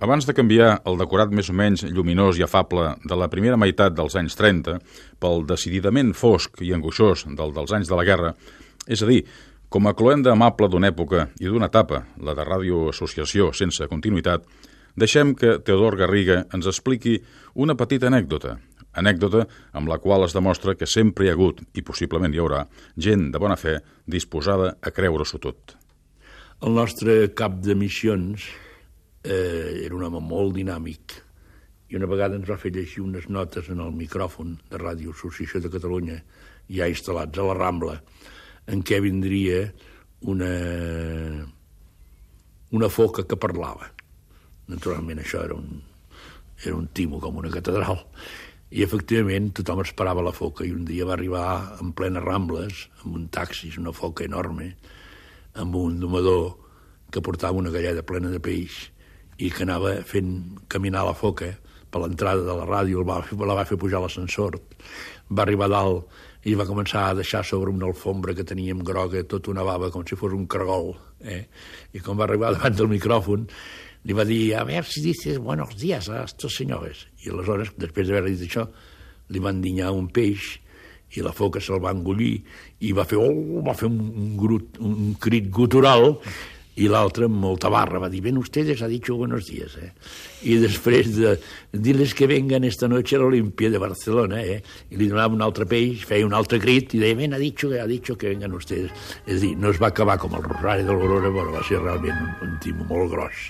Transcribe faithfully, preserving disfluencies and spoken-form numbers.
Abans de canviar el decorat més o menys lluminós i afable de la primera meitat dels anys trenta pel decididament fosc i angoixós del dels anys de la guerra, és a dir, com a cloenda amable d'una època i d'una etapa, la de Ràdio Associació sense continuïtat, deixem que Teodor Garriga ens expliqui una petita anècdota, anècdota amb la qual es demostra que sempre hi ha hagut, i possiblement hi haurà, gent de bona fe disposada a creure-s'ho tot. El nostre cap de missions eh, era un home molt dinàmic i una vegada ens va fer llegir unes notes en el micròfon de Ràdio Associació de Catalunya, ja instal·lats a la Rambla, en què vindria una, una foca que parlava. Naturalment això era un, era un timo com una catedral. I efectivament tothom esperava la foca i un dia va arribar en plenes Rambles, amb un taxi, una foca enorme, amb un domador que portava una galleda plena de peix i que anava fent caminar la foca per l'entrada de la ràdio, la va, la va fer pujar a l'ascensor, va arribar a dalt i va començar a deixar sobre una alfombra que teníem groga tota una bava com si fos un cargol. Eh? I quan va arribar davant del micròfon li va dir, a veure si dices buenos días a estos señores. I aleshores, després d'haver dit això, li van dinyar un peix i la foca se'l va engollir i va fer, oh, va fer un, un, grut, un crit gutural i l'altre amb molta barra va dir, ven ustedes, ha dicho buenos días. Eh? I després de dir-les que vengan esta noche a l'Olimpia de Barcelona, eh? I li donava un altre peix, feia un altre crit i deia, ven, ha dicho, ha dicho que vengan ustedes. És a dir, no es va acabar com el Rosari de l'Aurora, però va ser realment un, un timo molt gros.